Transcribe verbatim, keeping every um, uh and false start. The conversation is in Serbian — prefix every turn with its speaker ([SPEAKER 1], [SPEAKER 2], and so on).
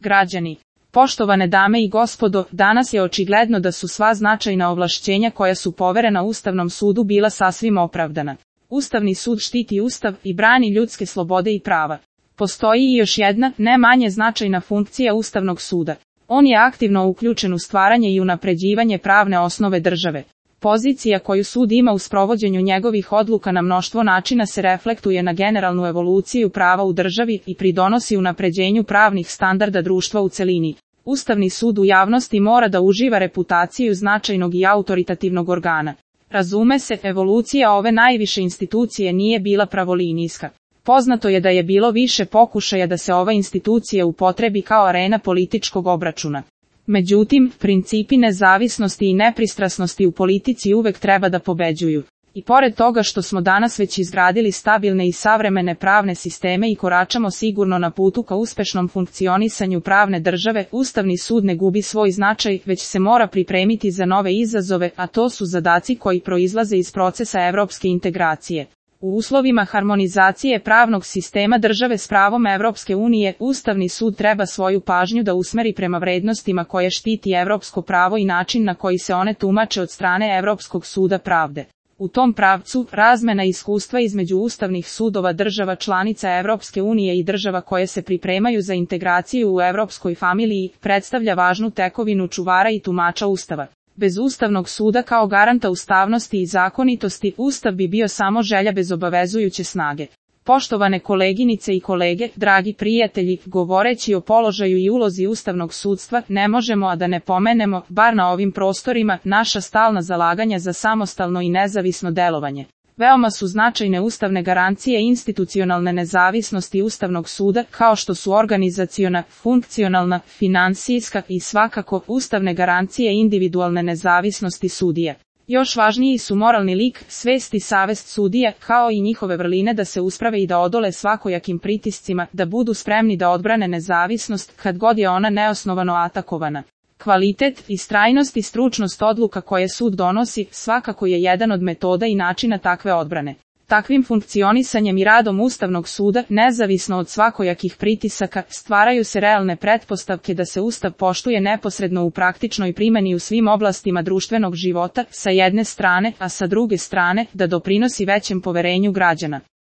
[SPEAKER 1] Građani. Poštovane dame i gospodo, danas je očigledno da su sva značajna ovlašćenja koja su poverena Ustavnom sudu bila sasvim opravdana. Ustavni sud štiti Ustav i brani ljudske slobode i prava. Postoji i još jedna, ne manje značajna funkcija Ustavnog suda. On je aktivno uključen u stvaranje i unapređivanje pravne osnove države. Pozicija koju sud ima u sprovođenju njegovih odluka na mnoštvo načina se reflektuje na generalnu evoluciju prava u državi i pridonosi unapređenju pravnih standarda društva u celini. Ustavni sud u javnosti mora da uživa reputaciju značajnog i autoritativnog organa. Razume se, evolucija ove najviše institucije nije bila pravolinijska. Poznato je da je bilo više pokušaja da se ova institucija upotrebi kao arena političkog obračuna. Međutim, principi nezavisnosti i nepristrasnosti u politici uvek treba da pobeđuju. I pored toga što smo danas već izgradili stabilne i savremene pravne sisteme i koračamo sigurno na putu ka uspešnom funkcionisanju pravne države, Ustavni sud ne gubi svoj značaj, već se mora pripremiti za nove izazove, a to su zadaci koji proizlaze iz procesa evropske integracije. U uslovima harmonizacije pravnog sistema države s pravom Evropske unije, Ustavni sud treba svoju pažnju da usmeri prema vrednostima koje štiti evropsko pravo i način na koji se one tumače od strane Evropskog suda pravde. U tom pravcu, razmena iskustva između ustavnih sudova država članica Evropske unije i država koje se pripremaju za integraciju u evropskoj familiji, predstavlja važnu tekovinu čuvara i tumača Ustava. Bez Ustavnog suda kao garanta ustavnosti i zakonitosti, Ustav bi bio samo želja bez obavezujuće snage. Poštovane koleginice i kolege, dragi prijatelji, govoreći o položaju i ulozi ustavnog sudstva, ne možemo a da ne pomenemo, bar na ovim prostorima, naša stalna zalaganja za samostalno i nezavisno delovanje. Veoma su značajne ustavne garancije institucionalne nezavisnosti Ustavnog suda, kao što su organizaciona, funkcionalna, finansijska i svakako ustavne garancije individualne nezavisnosti sudija. Još važniji su moralni lik, svest i savest sudija, kao i njihove vrline da se usprave i da odole svakojakim pritiscima, da budu spremni da odbrane nezavisnost kad god je ona neosnovano atakovana. Kvalitet, istrajnost i stručnost odluka koje sud donosi svakako je jedan od metoda i načina takve odbrane. Takvim funkcionisanjem i radom Ustavnog suda, nezavisno od svakojakih pritisaka, stvaraju se realne pretpostavke da se Ustav poštuje neposredno u praktičnoj primjeni u svim oblastima društvenog života, sa jedne strane, a sa druge strane, da doprinosi većem poverenju građana.